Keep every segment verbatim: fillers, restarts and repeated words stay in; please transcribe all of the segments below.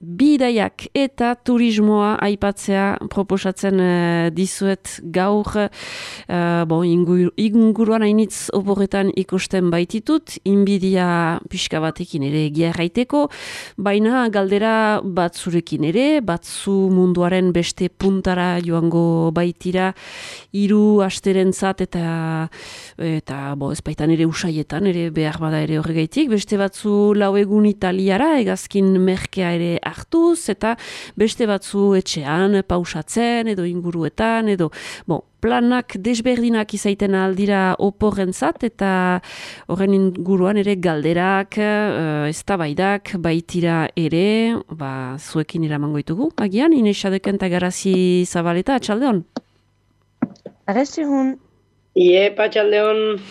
bidaiak eta turismoa aipatzea proposatzen uh, dizuet gaur. Uh, bon, ingur, inguruan hainitz oporretan ikusten baititut, inbidia pixka batekin ere egia erraiteko, baina galdera batzurekin ere, batzu munduaren beste puntara joango baitira, hiru asterentzat eta eta bo, ez baitan ere usaietan, ere behar bada ere horregaitik, beste batzu lau egun Italiara, egazkin merkea ere hartuz, eta beste batzu etxean, pausatzen, edo inguruetan, edo, bon, planak desberdinak izaiten aldira oporrentzat, eta horren inguruan ere galderak, uh, eztabaidak baitira ere, ba, zuekin iramango ditugu. Agian, Ines Xadeken eta Garazi Zabaleta, atxaldeon? Arrestihun. Iepa, atxaldeon.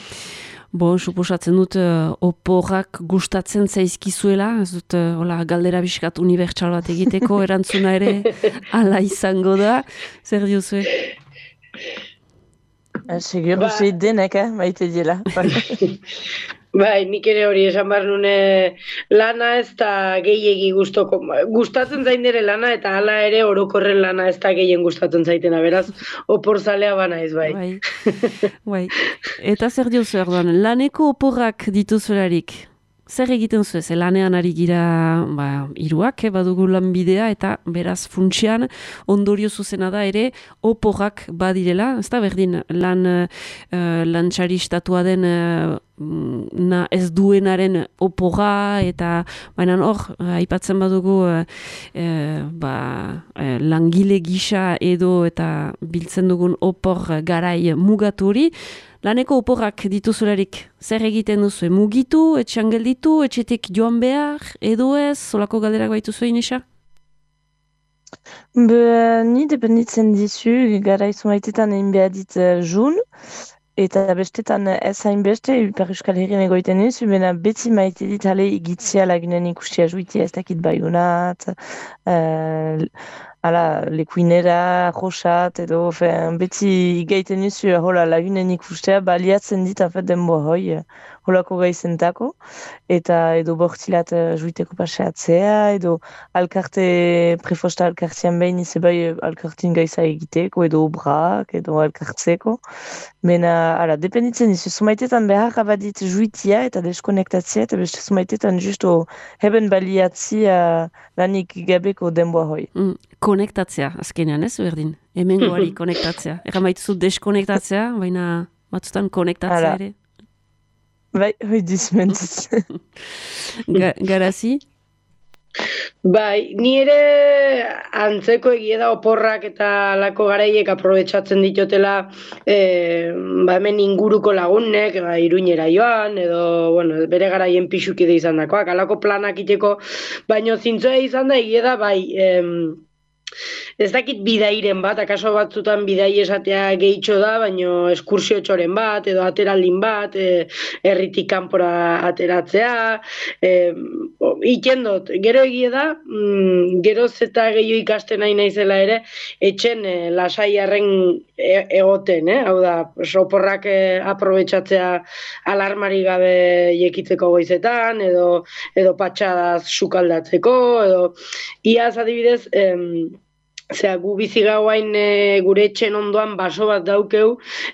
Bon, suposatzen dut uh, oporrak gustatzen zaizkizuela, ez dut uh, hola, galdera biskat unibertsal bat egiteko erantzuna ere ala izango da. Zer diozue? Segur, ba. Uste denek, eh? Maite dira. Bai, nik ere hori esan behar nune lana ez da gehiegi gustoko. Gustatzen zain dere lana eta hala ere orokorren lana ez da gehien gustatzen zaitena, beraz, oporzalea bana ez bai. Bai, bai. Eta zer diozu erdoan, laneko oporrak dituzularik? Zer egiten zu ez, lanean ari gira ba, iruak, eh, badugu lanbidea eta beraz funtsian ondorio zuzena da ere oporrak badirela, ez da berdin lan uh, lantxari estatua den uh, na ez duenaren oporra eta baina hor, aipatzen badugu uh, uh, ba, uh, langile gisa edo eta biltzen dugun opor garai mugaturi. Laneko oporrak dituzularik, zer egiten duzu? Mugitu, etxean gelditu, etxetik joan behar, edo ez, solako galderak baitu zuen, Inesa? Be, ni dependitzen dizu, gara izu maitetan egin behar dit uh, jun, eta bestetan ez hain beste, Ipar Euskal Herrien egoiten dizu, bena beti maite dit hale igitzea lagunen ikustia juitia ez dakit baiunat, uh, Hala, lekuinera, josat, edo, fen, beti igaiten nizu, hola, lagunen ikustea, baliatzen dit, afet, denbo hoi, holako gaizentako, eta edo bortzilat juiteko paseatzea, edo alkarte, prefosta alkartean behin, ize bai alkartin gaiza egiteko, edo obrak, edo alkartzeko. Mena, hala, dependitzen nizu, sumaitetan behar abadit juitia eta deskonektatzea, eta beste sumaitetan justo heben baliatzia lanik gabeko denboa hoi. Mm, konektatzea, azkenean ez, berdin? Hemengoari konektatzea. Egan baituzu deskonektatzea, baina batzutan konektatzea ere. Bai, hoi dizmentz. Ga, Garazi? Bai, ni ere antzeko egia da oporrak eta lako garaiek aprobetxatzen ditotela e, ba hemen inguruko lagunek, ba, Iruñera joan, edo bueno, bere garaien pixukide izan dakoak, alako planak iteko, baino zintzoa izan da egia da, bai, em, ez dakit bidairen bat, akaso batzutan bidai esatea gehitxo da, baino eskursio txoren bat, edo ateraldin bat, e, erritik kanpora ateratzea, e, ikendot, gero egie da, mm, geroz eta gehiago ikasten nahi naizela ere, etxen e, lasaiarren e, egoten, eh? Hau da, soporrak e, aprobetxatzea alarmari gabe jekitzeko goizetan, edo, edo patxadaz sukaldatzeko, edo iaz adibidez, em, Zea, gu bizi gauain e, gure etxen ondoan baso bat daukeu,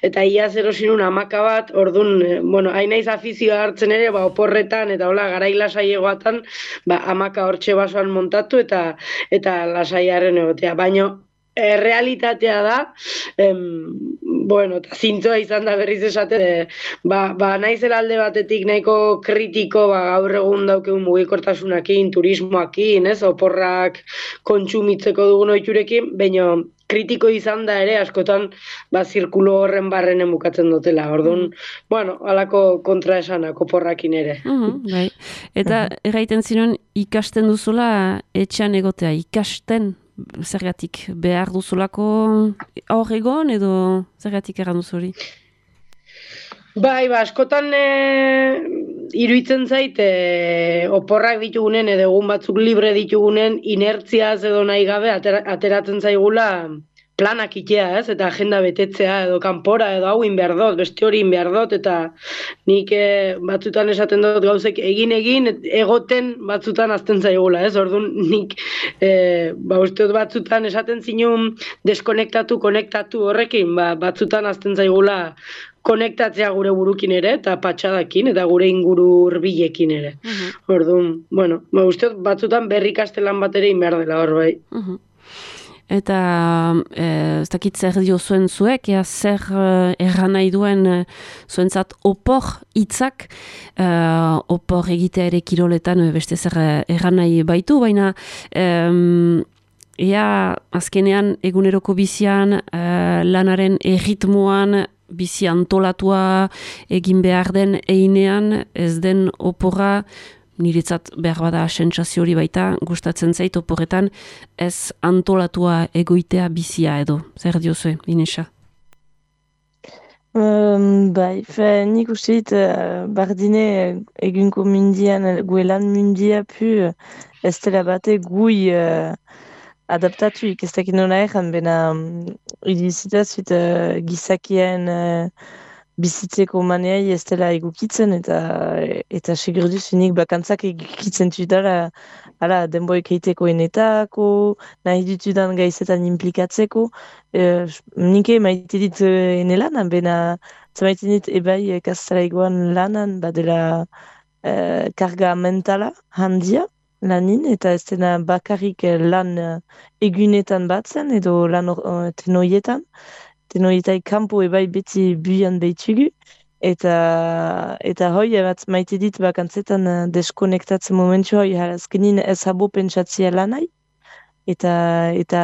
eta iaz erosinun hamaka bat, orduan, e, bueno, hain naiz afizioa hartzen ere, ba, oporretan, eta hola, garai lasaiegoatan, ba, hamaka hortxe basoan montatu, eta eta lasaiaren egotea. Baina, e, realitatea da, em, bueno, eta zintzoa izan da berriz esate, e, ba, ba naizela alde batetik nahiko kritiko, ba, gaur egun daukeun mugikortasunakin, turismoakin, ez, oporrak kontsumitzeko dugun ohiturekin, baina kritiko izan da ere, askotan, ba, zirkulo horren barrenen bukatzen dutela, orduan, mm. bueno, halako kontraesanak oporrakin ere. Mm-hmm, bai. Eta erraiten ziren ikasten duzula etxean egotea, ikasten zergatik behar duzulako hor egon edo zergatik erran duzuri? Bai, ba, askotan e, iruditzen zait e, oporrak ditugunen edo egun batzuk libre ditugunen inertziaz edo nahi gabe atera, ateratzen zaigula planak itea, ez? Eta agenda betetzea edo kanpora edo hau in behar dut, beste hori in behar dut, eta nik e, batzutan esaten dut gauzek egin egin egoten batzutan azten zaigula, ez? Orduan nik e, ba, uste dut batzutan esaten zinun deskonektatu, konektatu horrekin, ba, batzutan azten zaigula konektatzea gure burukin ere, eta patxadakin, eta gure inguru hurbilekin ere. Mhm. Orduan, bueno, ba, uste dut batzutan berri kastelan bat ere inbehar dela hor bai. Mhm. Eta ez dakit zer dio zuen zuek, ea zer uh, erran nahi duen uh, zuentzat opor hitzak, uh, opor egitea ere kiroletan uh, beste zer erran nahi baitu, baina um, ea azkenean eguneroko bizian uh, lanaren erritmoan bizi antolatua egin behar den einean ez den oporra niretzat behar bada sentsazio hori baita, gustatzen zait oporretan ez antolatua egoitea bizia edo. Zer diozue, Inesa? Um, bai, fe, nik uste dit, uh, bardine egunko mundian, guelan mundia pu, ez dela bate gui uh, adaptatuik, ez dakit nola erran, bena um, idizita zuit uh, gizakien uh, bizitzeko maneai ez dela egukitzen, eta eta segurduz unik bakantzak egukitzen dutala ala, denboek eiteko enetako, nahi dutudan gaizetan implikatzeko. E, nike maite dit ene lanan, bena zamaiten dit ebai kastalaikoan lanan, badela e, karga mentala handia lanin, eta ez dena bakarrik lan egunetan batzen, edo lan uh, tenoietan. Tenoietai kanpo ebai beti buian behitugu, eta eta hoi bat maite dit bakantzetan uh, deskonektatzen momentu hoi azkenin ez habo pentsatzea lanai, eta eta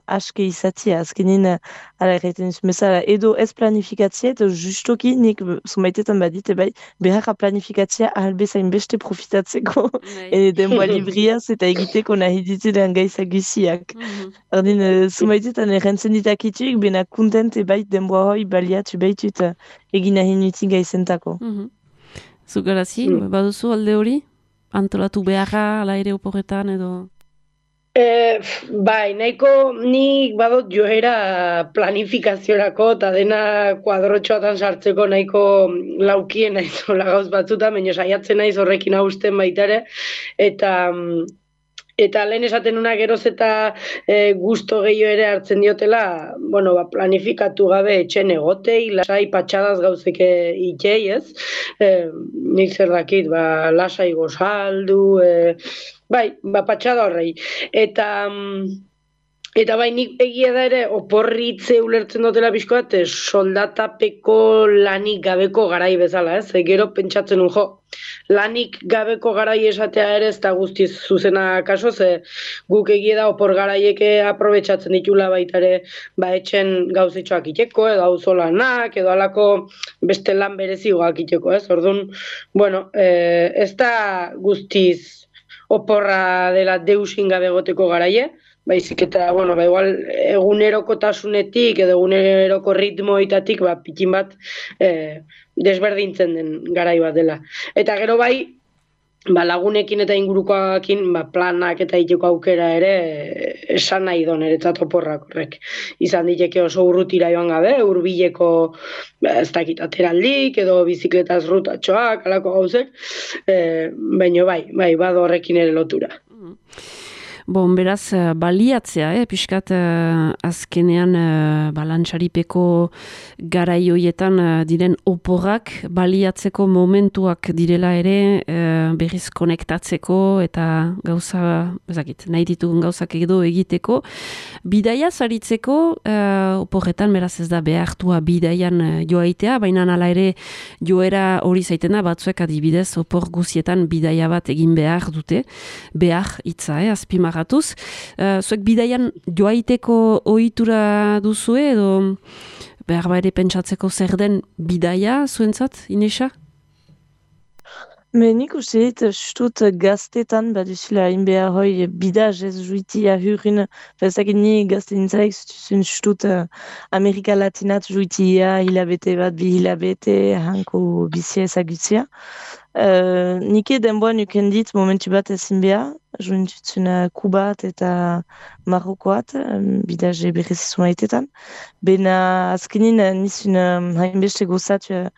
aske izatia, azkenin ala erraiten bezala, edo ez planifikatzea, eta justoki nik zumaitetan badite bai, beharra planifikatzea ahalbezain beste profitatzeko, e, denboa libriaz eta egiteko nahi ditudan gaizak guziak. Mhm. Ordin, zumaitetan errentzen ditakituik, bena kontent bai denboa hoi baliatu behitut egin nahi nutin gaizentako. Mhm. Zugarazi, Mm. baduzu alde hori? Antolatu beharra, ala ere oporretan edo... E, bai, nahiko nik badot joera planifikaziorako eta dena kuadrotxoatan sartzeko nahiko laukien naiz hola gauz batzutan, baina saiatzen naiz horrekin hausten baita ere, eta eta lehen esaten nuna geroz eta e, gusto gehiago ere hartzen diotela, bueno, ba, planifikatu gabe etxen egotei, lasai patxadaz gauzeke itxei, ez? E, nik zer dakit, ba, lasai gozaldu, e, bai, ba, patxada horrei. Eta... Eta bai, nik egia da ere, oporritze ulertzen dutela pixkoat, soldatapeko lanik gabeko garai bezala, ez? E, gero pentsatzen un, jo, lanik gabeko garai esatea ere ez da guztiz zuzena kaso, ze guk egia da opor garaieke aprobetxatzen ditula baita ere, ba, etxen gauzetxoak iteko, edo auzolanak, edo alako beste lan berezigoak iteko, ez? Orduan, bueno, e, ez da guztiz oporra dela deusin gabe egoteko garaie, baizik eta, bueno, ba, igual, egunerokotasunetik edo eguneroko ritmoitatik, ba, pikin bat eh, desberdintzen den garai bat dela. Eta gero bai, ba, lagunekin eta ingurukoakin ba, planak eta iteko aukera ere eh, esan nahi don eretzat oporrak horrek. Izan diteke oso urrutira joan gabe, hurbileko ba, ez dakit ateraldik edo bizikletaz rutatxoak, alako gauzek, eh, baina bai, bai, bado horrekin ere lotura. Bon, beraz, uh, baliatzea, eh, pixkat uh, azkenean uh, balantxaripeko garaioietan uh, diren oporrak baliatzeko momentuak direla ere uh, berriz konektatzeko eta gauza, ezakit, nahi ditugun gauzak edo egiteko. Bidaia zaritzeko uh, oporretan, beraz ez da behartua bidaian uh, joaitea, baina hala ere joera hori zaiten da, batzuek adibidez opor guzietan bidaia bat egin behar dute, behar hitza, eh, azpimar Gatuz. Uh, zuek bidaian joaiteko ohitura duzue edo behar ere pentsatzeko zer den bidaia zuentzat, Inesa? Me nik uste dit, stut gaztetan baduzula inbehar hoi bidaz ez juitia hurin, fezak ni gazte nintzalaik zutuzun stut uh, Amerika Latinat juitia hilabete bat, bi hilabete, hanko bizia ezagutzia. Uh, nike denboa nuken dit momentu bat ezin behar, jointutzen Kubat eta Marokoat, um, bidaz berrezizu maitetan. Bena azkenin nizun um, hainbeste gozatu uh,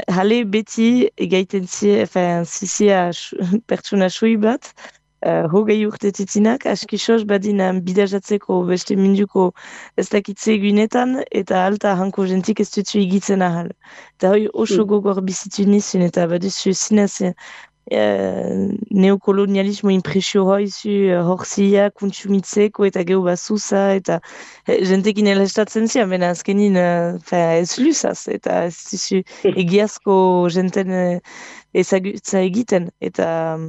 Hale beti egaiten zi, enfin, zizia pertsona sui bat, uh, hogei urte titinak, askisos badin bidajatzeko beste minduko ez dakitze egunetan, eta alta hanko jentik ez dutu egitzen ahal. Eta hoi oso gogor bizitu nizun, eta baduzu zinez Uh, neokolonialismo impresio hoizu uh, horzia, kontsumitzeko eta gehu bazuza eta uh, jentekin elestatzen zian, bena azkenin uh, ez lusaz eta ez duzu egiazko jenten uh, ezagutza egiten eta um,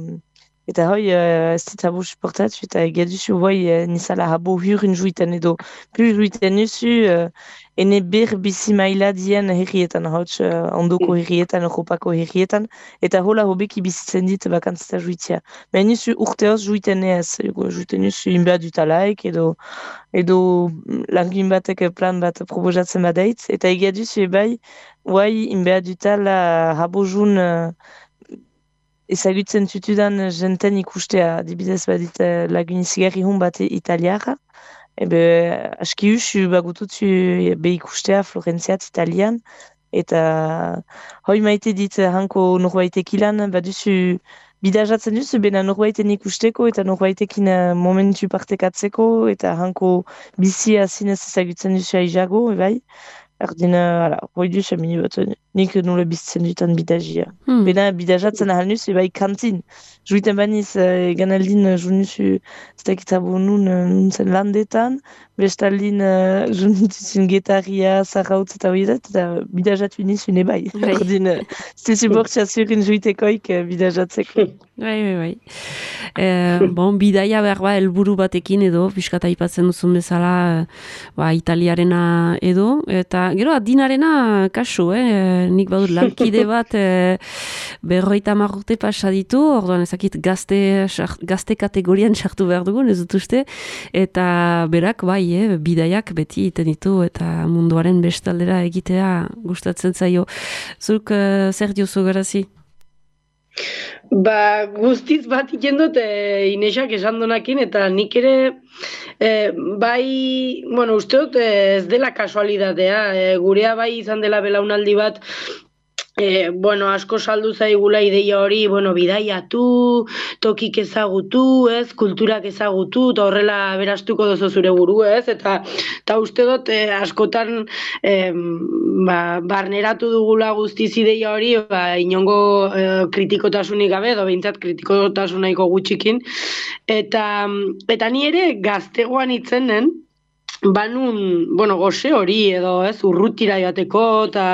eta hoi uh, ez dut habo suportatu eta egia duzu hoi uh, nizala habo hurin juiten edo plus juiten duzu uh, ene ber bizi maila dien herrietan, hauts uh, ondoko herrietan, Europako herrietan, eta hola hobeki bizitzen dit bakantzita juitzia. Men nizu urteoz juiten ez, juiten nizu inbea dutalaik, edo, edo langin batek plan bat proposatzen badaitz, eta egia duzu ebai, guai inbea dutala habojun uh, ezagutzen tutudan jenten ikustea, dibidez badit uh, lagunizigarri hun bat italiara, ebe aski usu bagututzu be ikustea Florentziat italian, eta hoi maite dit hanko norbaitek ilan, baduzu bidajatzen duzu, bena norbaiten ikusteko eta norbaitekin momentu partekatzeko, eta hanko bizia zinez ezagutzen duzu aizago, ebai. Erdina, ala, hoi duzu amini bat, nik nola bizitzen dutan bidajia. Hmm. Bena bidajatzen ahal nuz, ebai kantin. Juiten baniz, uh, ganaldin uh, junuzu, ez dakitabo nun, uh, nun zen landetan, bestaldin uh, junituzun getaria, zarrautz eta hori dat, eta bidajatu nizun ebai. Erdin, uh, zezu bortxa zurin juitekoik uh, bidajatzeko. Bai, bai, bai. E, bon, bidaia behar ba, elburu batekin edo, piskata aipatzen duzun bezala, ba, italiarena edo, eta gero adinarena kasu, eh? Nik badut lankide bat e, berroita marrute pasaditu, orduan ezakit gazte, gazte kategorian sartu behar dugun, ez dut uste, eta berak bai, eh, bidaiak beti iten ditu, eta munduaren bestaldera egitea gustatzen zaio. Zuk uh, zer diozu garazi? Ba, guztiz bat iken dut e, Inesak esan donakin, eta nik ere e, bai, bueno, uste dut e, ez dela kasualidadea, e, gurea bai izan dela belaunaldi bat, E, bueno, asko saldu zaigula ideia hori, bueno, bidaiatu, tokik ezagutu, ez, kulturak ezagutu, eta horrela berastuko dozo zure buru, ez, eta, eta uste dut e, askotan e, ba, barneratu dugula guztiz ideia hori, ba, inongo e, kritikotasunik gabe, edo behintzat kritikotasunaiko gutxikin, eta, eta ni ere gaztegoan itzenen, banun, bueno, goze hori edo, ez, urrutira joateko, eta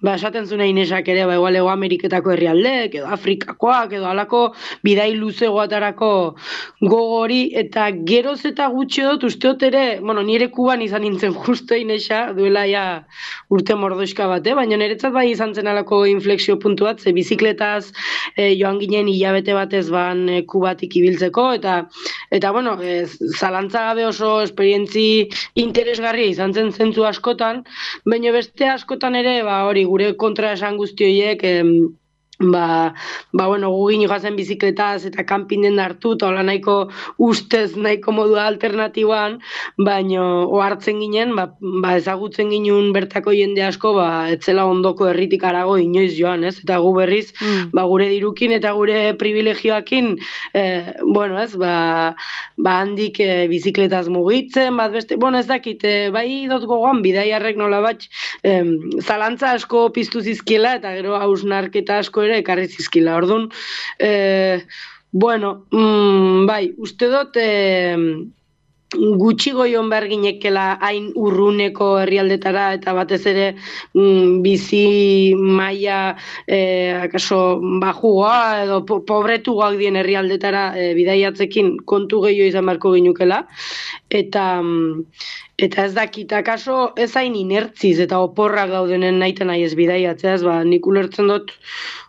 ba, esaten zuna Inesak ere, ba, igual Ego Ameriketako herrialdek, edo Afrikakoak, edo halako bidai luzegoatarako gogori, eta geroz eta gutxi dut, uste dut ere, bueno, nire Kuban izan nintzen justo Inesa, duela ja urte mordoizka bat, eh? Baina niretzat bai izan zen alako inflexio puntu bat, ze bizikletaz eh, joan ginen hilabete batez ban eh, Kubatik ibiltzeko, eta, eta bueno, eh, zalantza gabe oso esperientzi interesgarria izan zen zentzu askotan, baina beste askotan ere, ba, hori, gure kontra esan guzti horiek, em, ba, ba bueno, gugin joazen bizikletaz eta kanpinen hartu, eta hola nahiko ustez nahiko modu alternatiboan, baino ohartzen ginen, ba, ba ezagutzen ginen bertako jende asko, ba etzela ondoko herritik harago inoiz joan, ez? Eta gu berriz, mm. ba gure dirukin eta gure privilegioakin, eh, bueno, ez, ba, ba handik eh, bizikletaz mugitzen, bat beste, bueno, ez dakit, eh, bai dut gogoan bidaiarrek nola bat, eh, zalantza asko piztu zizkiela, eta gero hausnarketa asko ere ekarri zizkila. Orduan, eh, bueno, mm, bai, uste dut eh, gutxi goion behar ginekela hain urruneko herrialdetara eta batez ere mm, bizi maila eh, akaso bajugoa edo po pobretugoak dien herrialdetara eh, bidaiatzekin kontu gehiago izan beharko ginukela. Eta... Mm, Eta ez dakit, akaso ez hain inertziz eta oporrak daudenen naiten nahi ez bidaiatzeaz, ba, nik ulertzen dut,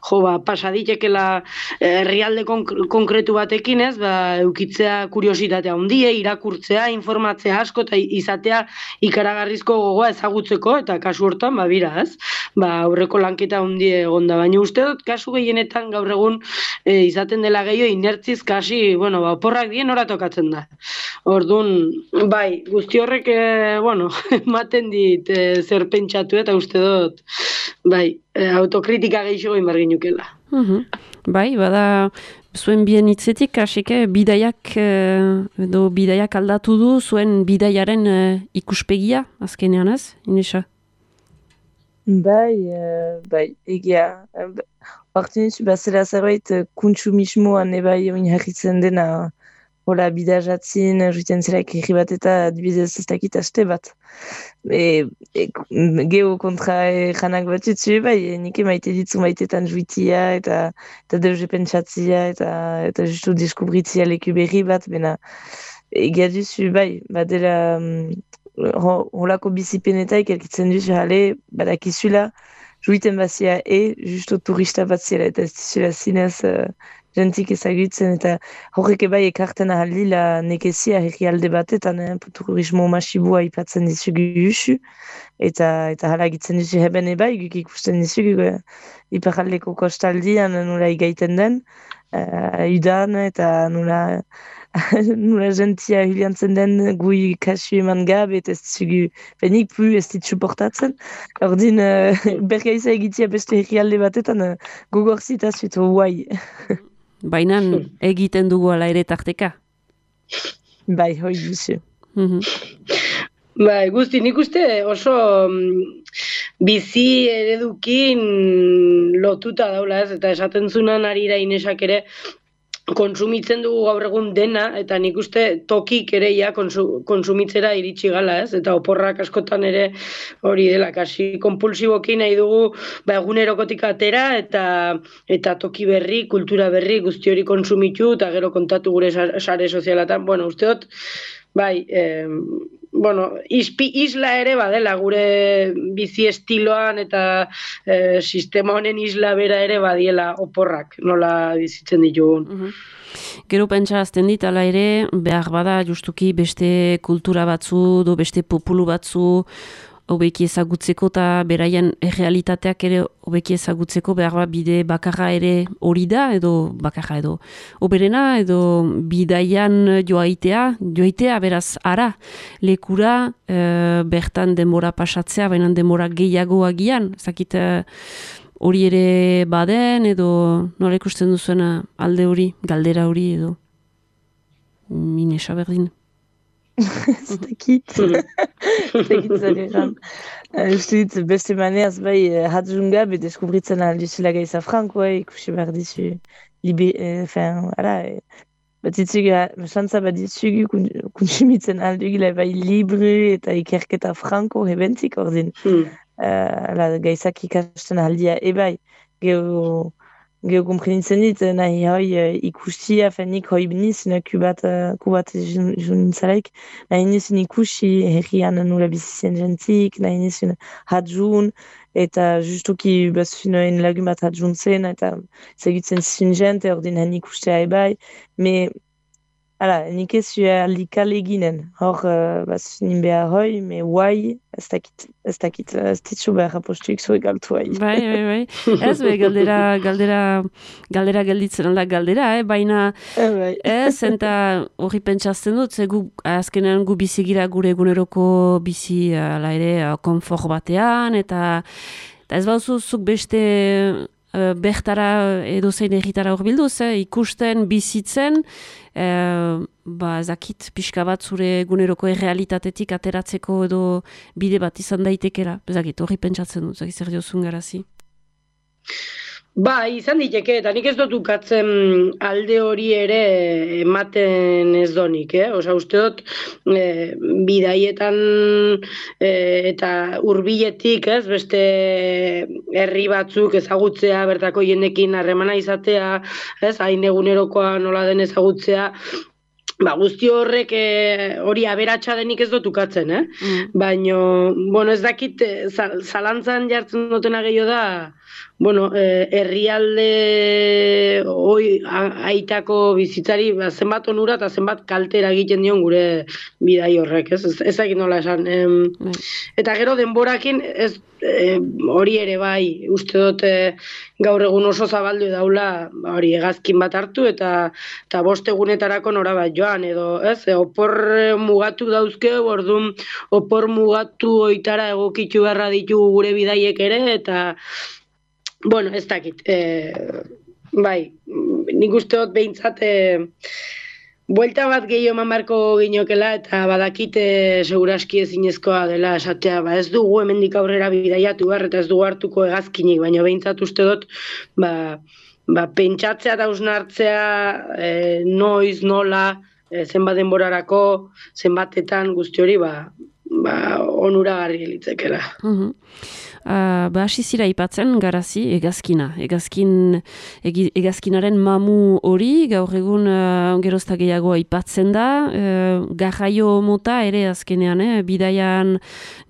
jo, ba, pasaditekela herrialde konkretu batekin ez, ba, eukitzea kuriositatea handie, irakurtzea, informatzea asko eta izatea ikaragarrizko gogoa ezagutzeko, eta kasu hortan, ba, bira, ez, ba, aurreko lanketa handie egonda, baina uste dut, kasu gehienetan gaur egun e, izaten dela gehiago inertziz kasi, bueno, ba, oporrak dien ora tokatzen da. Orduan, bai, guzti horrek E, bueno, ematen dit e, zer pentsatu eta uste dut, bai, e, autokritika gehiago inbar ginukela. Uh-huh. Bai, bada zuen bien hitzetik, hasik, eh, bidaiak, eh, edo bidaiak aldatu du, zuen bidaiaren eh, ikuspegia, azkenean ez, Inesa? Bai, uh, bai, egia. Hortu nizu, bazela zerbait uh, kontsumismoan ebai oinarritzen dena, hola, bidajatzin, juiten zelaik herri bat eta adibidez ez dakit aste bat. E, e, geho kontra e, janak bat jutzu, bai, e, nik emaite ditzu maitetan juitia eta eta deuze pentsatzia eta eta justu deskubritzia leku berri bat, bena egia duzu, bai, badela holako bizipenetaik elkitzen duzu, jale, badakizula, juiten bazia e, justo turista bat zela, eta ez dizula zinez uh, jentik ezagutzen, eta horrek ebai ekarten ahaldi la nekezia herrialde batetan, eh, turismo masibua ipatzen dizugu usu, eta eta hala egitzen duzu heben ebai, guk ikusten dizugu uh, iparaldeko kostaldian nola igaiten den, uh, udan, eta nola nula gentia hiliantzen den gui kasu eman gabe eta ez dizugu benik pu ez dit suportatzen. Ordin uh, bergaiza egitea beste herrialde batetan uh, gogor zitazut guai. Baina egiten dugu ala ere tarteka. Bai, hoi duzu. Bai, guzti, nik uste oso bizi eredukin lotuta daula ez, eta esaten zunan arira Inesak ere, konsumitzen dugu gaur egun dena, eta nik uste tokik ere ja konsu, konsumitzera iritsi gala, ez? Eta oporrak askotan ere hori dela, kasi konpulsiboki nahi dugu ba, egunerokotik atera, eta eta toki berri, kultura berri, guzti hori konsumitu, eta gero kontatu gure sare sozialatan. Bueno, usteot, bai, eh, bueno, ispi, isla ere badela gure bizi estiloan eta e, sistema honen isla bera ere badiela oporrak, nola bizitzen ditugun. Uh-huh. Gero pentsa azten dit, ala ere, behar bada justuki beste kultura batzu, do beste populu batzu, hobeki ezagutzeko eta beraien errealitateak ere hobeki ezagutzeko behar bat bide bakarra ere hori da, edo bakarra edo oberena, edo bidaian joaitea, joaitea beraz ara, lekura e, bertan denbora pasatzea, baina denbora gehiago agian, zakit hori ere baden, edo nola ikusten duzuena alde hori, galdera hori, edo Inesa berdin. Ez dakit. Ez dakit zareran. Uste dit, beste maneaz, bai, hatzunga, be deskubritzen alduzula gaiza frankoa, ikusi behar dizu, libe, enfin, ala, bat ditzugu, santza bat ditzugu, konsumitzen aldugila, bai, libre eta ikerketa franko, hebentik ordin. Hmm. Ala, gaizak ikasten aldia, e bai, geho, Geo komprenitzen dit, nahi hoi uh, ikusi, afenik hoi biniz, kubat, uh, kubat junintzalaik, nahi nizun ikusi herrian nula bizizien jentik, nahi nizun hadjun, eta justuki bazufinoen lagun bat hadjun zen, eta zegutzen zizun jente, ordin hen ikustea ebai, me, ala, nik ez zua likale eginen, hor uh, bazufinin behar hoi, me guai, ez dakit, ez dakit, ez ditzu behar apostuik zure galtu hai. Bai, bai, bai. Ez, be, galdera, galdera, galdera gelditzen alda galdera, eh? Baina ez, eta hori pentsazten dut, ze gu, azkenean gu bizigira gure eguneroko bizi, ala ere, konfort batean, eta, eta ez bauzu zuk beste uh, bertara edo zein egitara hor bilduz, eh? Ikusten, bizitzen, Uh, ba, zakit, pixka bat zure eguneroko errealitatetik ateratzeko edo bide bat izan daitekera. Zakit, hori pentsatzen dut, zakit zer diozun garazi. Ba, izan diteke, eta nik ez dut ukatzen alde hori ere ematen ez donik, eh? Osa, uste dut, e, bidaietan e, eta hurbiletik, ez, beste herri batzuk ezagutzea, bertako jendekin harremana izatea, ez, hain egunerokoa nola den ezagutzea, ba, guzti horrek e, hori aberatsa denik ez dut ukatzen, eh? Mm. Baina, bueno, ez dakit, zalantzan jartzen dutena gehiago da, bueno, eh, herrialde hoi aitako bizitzari ba, zenbat onura eta zenbat kaltera egiten dion gure bidai horrek, ez? Ez, ez egin nola esan. Em, mm. Eta gero denborakin, ez eh, hori ere bai, uste dut eh, gaur egun oso zabaldu daula hori hegazkin bat hartu eta eta bost egunetarako nora bat joan, edo, ez? E, opor mugatu dauzke, orduan opor mugatu oitara egokitu beharra ditugu gure bidaiek ere, eta bueno, ez dakit, e, bai, nik uste dut behintzat e, buelta bat gehiago eman beharko ginokela eta badakite seguraski ezinezkoa dela esatea, ba ez dugu hemendik aurrera bidaiatu behar eta ez dugu hartuko hegazkinik, baina behintzat uste dut ba, ba, pentsatzea eta hausnartzea e, noiz, nola, e, zenbat denborarako, zenbatetan guzti hori ba, ba, onuragarri litzekela. Mhm. Uh, ba, hasi zira ipatzen, garazi, egazkina. Egazkin, egi, egazkinaren mamu hori, gaur egun uh, gerozta gehiago aipatzen da, uh, garraio mota ere azkenean, eh? Bidaian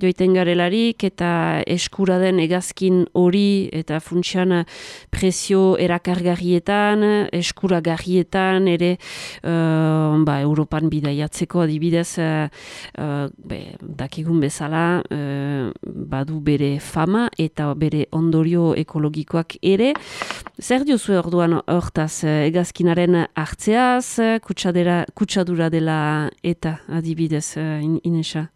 joiten garelarik, eta eskura den egazkin hori, eta funtsian presio erakargarrietan, eskuragarrietan, ere uh, ba, Europan bidaiatzeko adibidez, uh, uh, be, dakigun bezala, uh, badu bere fa eta bere ondorio ekologikoak ere. Zer diozu orduan hortaz egazkinaren hartzeaz, kutsadera, kutsadura dela eta adibidez, Inesa?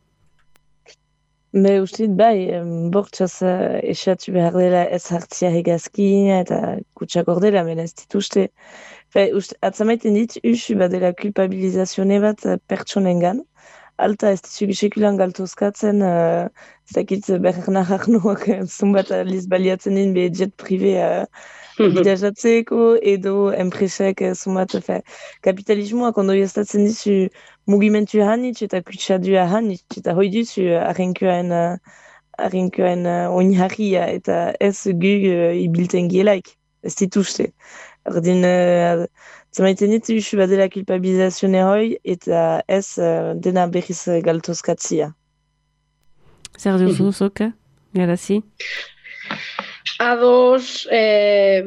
Be, ustit bai, bortxaz esatu behar dela ez hartzia egazkina eta kutsak ordela, mena ez dituzte. Atzamaiten dit, usu badela kulpabilizazione bat pertsonengan. Alta ez dizugu sekulan galtozkatzen, uh, ez dakit behar nahar nuak zumbat aliz baliatzen din be jet privé uh, bidajatzeko edo enpresek uh, zumbat fe, kapitalismoak ondo jaztatzen dizu mugimentu hanitz eta kutsadua hanitz eta hoi duzu arrenkoen uh, arrenkoen uh, oinharria eta ez gu uh, ibilten gielaik, ez dituzte. Ordin, uh, zamaiten ditu usu badela kulpabilizazione hoi eta ez uh, dena berriz galtozkatzia. Zer duzu, zoka? Garazi? Ados, e,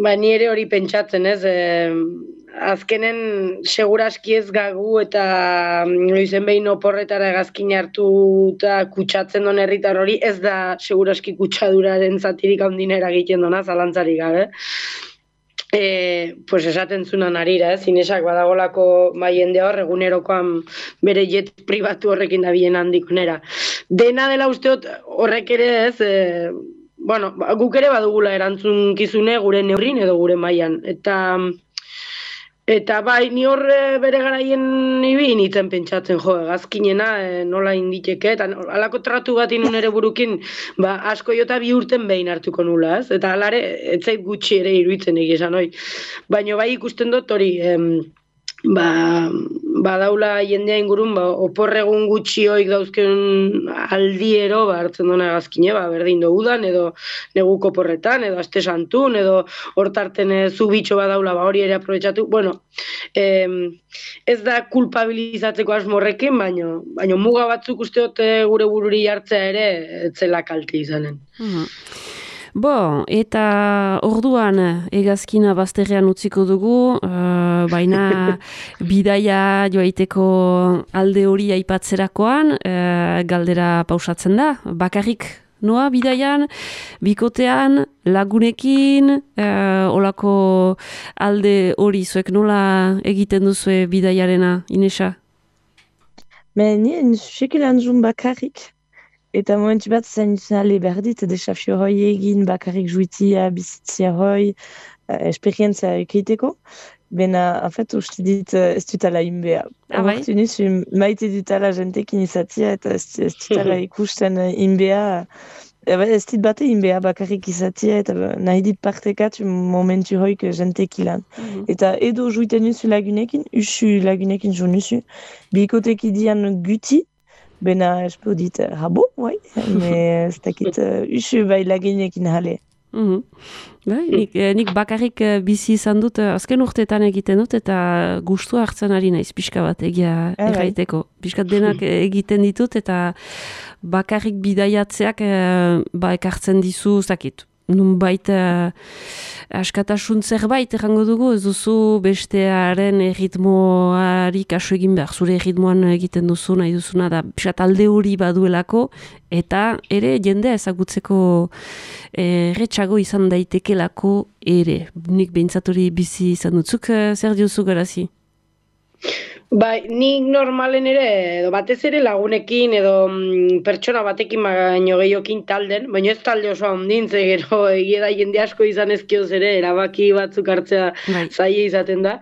ba, ni ere hori pentsatzen, ez? E, azkenen seguraski ez gagu eta noizen behin oporretara hegazkin hartu eta kutsatzen don herritar hori, ez da seguraski kutsaduraren zatirik handinera egiten dona, zalantzarik gabe. E, pues esaten zunan arira, ez? Inesak badagolako bai jende hor, egunerokoan bere jet pribatu horrekin da bien handikonera. Dena dela usteot horrek ere ez, e, bueno, guk ere badugula erantzunkizune gure neurrin edo gure mailan. Eta Eta bai, ni hor bere garaien ibi nintzen pentsatzen, jo, egazkinena e, nola inditeke, eta alako tratu bat inun ere burukin, ba, asko jota bi urten behin hartuko nula, ez? Eta alare, ez zait gutxi ere iruditzen egizan, hoi. Baina bai ikusten dut hori, em, ba, badaula jendea ingurun, ba, oporregun gutxi hoik dauzken aldiero, ba, hartzen duna egazkine, ba, berdin do udan, edo neguko porretan, edo aste santun, edo hortarten zu bitxo badaula, ba, hori ere aprobetxatu. Bueno, em, ez da kulpabilizatzeko asmorrekin, baino, baino muga batzuk usteote gure bururi hartzea ere, etzela kalte izanen. Mhm. Bo, eta orduan egazkina bazterrean utziko dugu, uh, baina bidaia joaiteko alde hori aipatzerakoan, uh, galdera pausatzen da, bakarrik noa bidaian, bikotean, lagunekin, uh, olako alde hori zuek nola egiten duzue bidaiarena, Inesa? Men nien sekilan zun bakarrik. Eta momentu bat zain ale berdit desafio hoi egin bakarrik juitia, bizitzia hoi, uh, esperientzia ekeiteko. Bena, en fait, uste dit ez dutala inbea. Ah, bai? Hortu nizu maite dutala jentekin izatia eta ez, ez dutala ikusten inbea. Ez dit bate inbea bakarrik izatia eta nahi dit partekatu momentu hoik jentekilan. Mm-hmm. Eta edo juiten nizu lagunekin, usu lagunekin jo nizu. Bikoteki dian guti, bena, espo dit, habo, bai, me ez dakit, usu bai lagunekin jale. Mm-hmm. Bai, nik, nik bakarrik bizi izan dut, azken urteetan egiten dut, eta gustua hartzen ari naiz, pixka bat egia erraiteko. Piskat denak egiten ditut, eta bakarrik bidaiatzeak ba, ekartzen dizu, zakit, nun baita askatasun zerbait errango dugu, ez duzu bestearen erritmoari kasu egin behar, zure erritmoan egiten duzu, nahi duzuna, da piskat alde hori baduelako, eta ere jendea ezagutzeko erretxago izan daitekelako ere. Nik behintzat hori bizi izan dutzuk, zer diozu Garazi? Bai, nik normalen ere, edo batez ere lagunekin, edo mm, pertsona batekin baino gehiokin talden, baina ez talde oso handin, ze gero egia da jende asko izan ezkioz ere, erabaki batzuk hartzea Bai. zaila izaten da.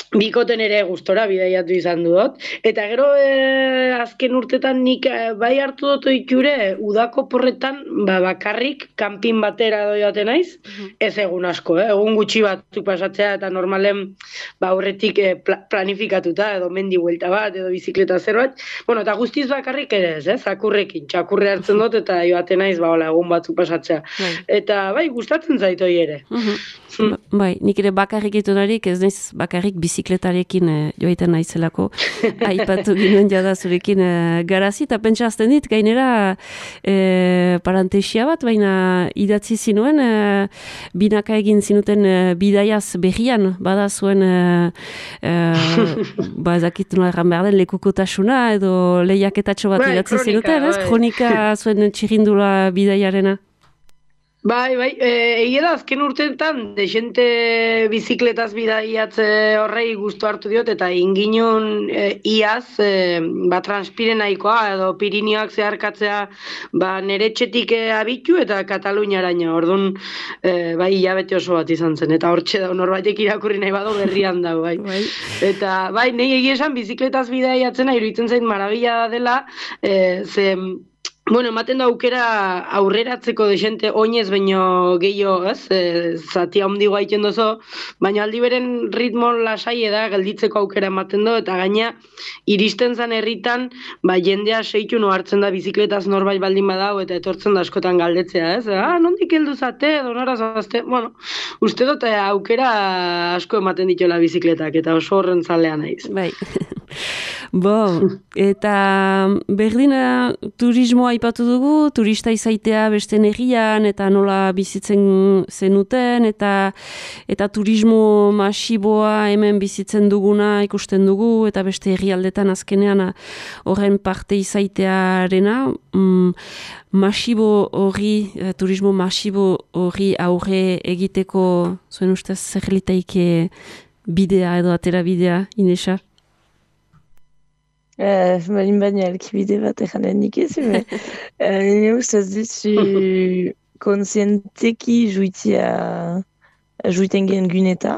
Bikoten ere gustora bidaiatu izan dut. Eta gero e, azken urtetan nik e, bai hartu dut ohiture udako porretan ba, bakarrik kanpin batera edo joaten naiz. Mhm. Ez egun asko, eh? Egun gutxi batzuk pasatzea eta normalen ba, aurretik e, pla- planifikatuta edo mendi buelta bat edo bizikleta zerbait. Bueno, eta guztiz bakarrik ere ez, eh? Zakurrekin, txakurre hartzen dut eta joaten naiz ba, hola, egun batzuk pasatzea. Bai. Eta bai, gustatzen zait hori ere. Mhm. Ba- Bai, nik ere bakarrik itunarik, ez naiz bakarrik bizikletarekin e, joaiten naizelako. Aipatu ginen jada zurekin e, garazi, eta pentsa azten dit, gainera e, parantesia bat, baina idatzi zinuen, e, binaka egin zinuten e, bidaiaz berrian, bada zuen, e, e, ba ezakit nola erran behar den, lekukotasuna, edo lehiaketatxo bat Bai, idatzi kronika, zinuten, ez? bai. Kronika zuen txirindula bidaiarena. Bai, bai, e, egia da azken urteetan desente bizikletaz bidaiatze horrei gustu hartu diot eta inginun e, iaz e, ba, transpire nahikoa edo Pirinioak zeharkatzea ba, nere etxetik e, abitu eta Kataluniaraino, orduan e, bai hilabete oso bat izan zen eta hortxe da norbaitek irakurri nahi bado berrian da, bai. Bai. Eta bai, nei egia esan bizikletaz bidaiatzena iruditzen zait marabila dela, e, ze bueno, ematen da aukera aurreratzeko desente oinez baino gehiago, ez? E, zati handi gaiten dozo, baina aldi beren ritmo lasai da gelditzeko aukera ematen do eta gaina iristen zan herritan, ba jendea seitu no hartzen da bizikletaz norbait baldin badau eta etortzen da askotan galdetzea, ez? Ah, nondik heldu zate edo nora zazte? Bueno, uste dut aukera asko ematen dituela bizikletak eta oso horren zalea naiz. Bai. Bo, eta berdina turismoa aipatu dugu, turista izaitea beste herrian eta nola bizitzen zenuten, eta eta turismo masiboa hemen bizitzen duguna ikusten dugu, eta beste herrialdetan azkenean horren parte izaitearena, mm, masibo hori, eh, turismo masibo hori aurre egiteko, zuen ustez zer litaike bidea edo atera bidea, Inesa? Uh, Malin baina elkibide bat eganen nik ez, me uh, nire ustez dizu konsienteki juitia juiten gen guneta,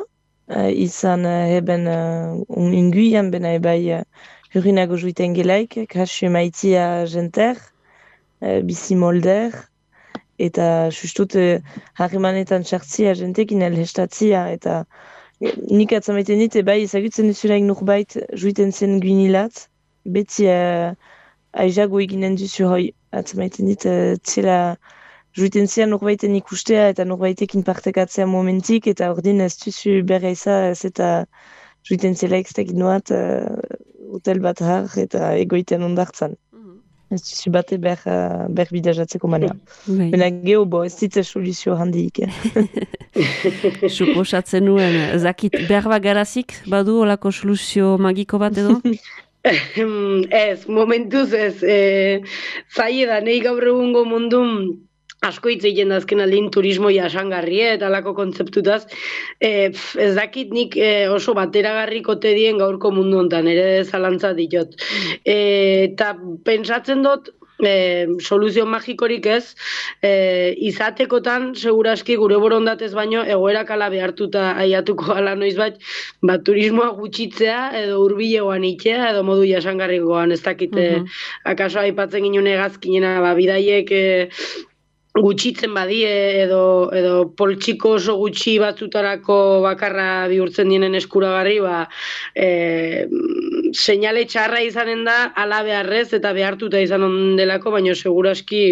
uh, izan uh, eben uh, un unguian bena ebai uh, hurinago juiten gelaik, kasu maitia jenter, uh, bizi molder, eta justut uh, harremanetan txartzia jentekin elhestatzia, eta nik atzamaiten dit, ebai ezagutzen duzulaik nurbait juiten zen gunilat, beti uh, aizago eginen duzu hoi, atzamaiten dit, uh, txela juiten zian norbaiten ikustea eta norbaitekin partekatzea momentik, eta ordin ez duzu berra izan, ez eta juiten zela ekstak inoat uh, hotel bat har eta egoiten ondartzan. Ez duzu bate ber, uh, ber bidajatzeko manea. Bena geho bo, ez ditza soluzio handiik. Suposatzen nuen, zakit berba garazik, badu olako soluzio magiko bat edo? Ez, momentuz ez, e, zaila da, nahi gaur egungo mundun asko hitz egiten da azken aldin turismo jasangarria eta alako kontzeptutaz, e, pf, ez dakit nik e, oso bateragarriko te dien gaurko mundu hontan, ere zalantza ditot. E, eta pentsatzen dut, E, soluzio magikorik ez, e, izatekotan seguraski gure borondatez baino egoerak ala behartuta aiatuko ala noizbait, ba, turismoa gutxitzea edo hurbilegoan itea edo modu jasangarrikoan, ez dakite, uh-huh. Akaso aipatzen ginen egazkinena, ba, bidaiek e, gutxitzen badie edo edo poltsiko oso gutxi batzutarako bakarra bihurtzen dienen eskuragarri, ba e, seinale txarra izanen da ala beharrez eta behartuta izan ondelako, baina seguraski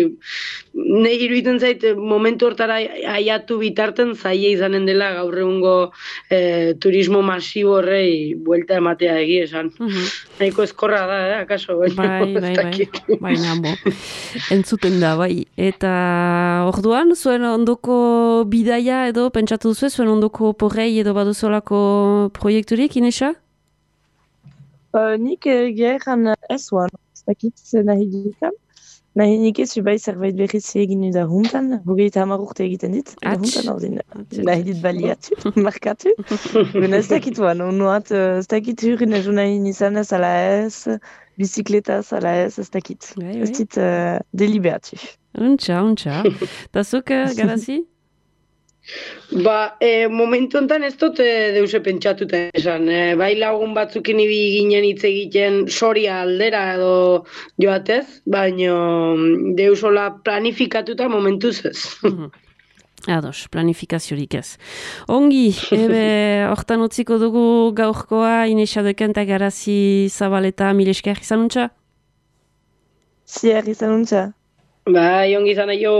nahi iruditzen zait momentu hortara aiatu bitarten zaila izanen dela gaur egungo e, turismo masibo horrei buelta ematea egi esan. Uh-huh. Nahiko eskorra da, eh, akaso? Bai, bai, bai, baina bo. Entzuten da, bai. Eta orduan, zuen ondoko bidaia edo pentsatu duzu, zuen ondoko porrei edo baduzolako proiekturik, Inesa? Uh, nik geran ez oan, ez dakit zen nahi dikan. Nahi nik ez, bai zerbait berriz egin da juntan, hogeita hamar urte egiten dit, eta Ats. juntan hau din, Ats, nahi ats. dit baliatu, markatu. Bena ez dakit uan, unuat, ez dakit hurin ezu nahi nizan ez ala ez, bizikletaz ala ez, ez dakit. Bai, Ez bai. dit uh, deliberatu. Untxa, untxa. Ta zuk, eh, Garazi? Ba, e, momentu honetan ez dut e, deuse pentsatuta esan. E, bai lagun batzukin ibi ginen hitz egiten soria aldera edo joatez, baino deusola planifikatuta momentuz ez. Mhm. Ados, planifikaziorik ez. Ongi, ebe, hortan utziko dugu gaurkoa, Inesa Deken eta Garazi Zabaleta milesker izan untxa? Ziar izan untza. Bai, ongi izan aio.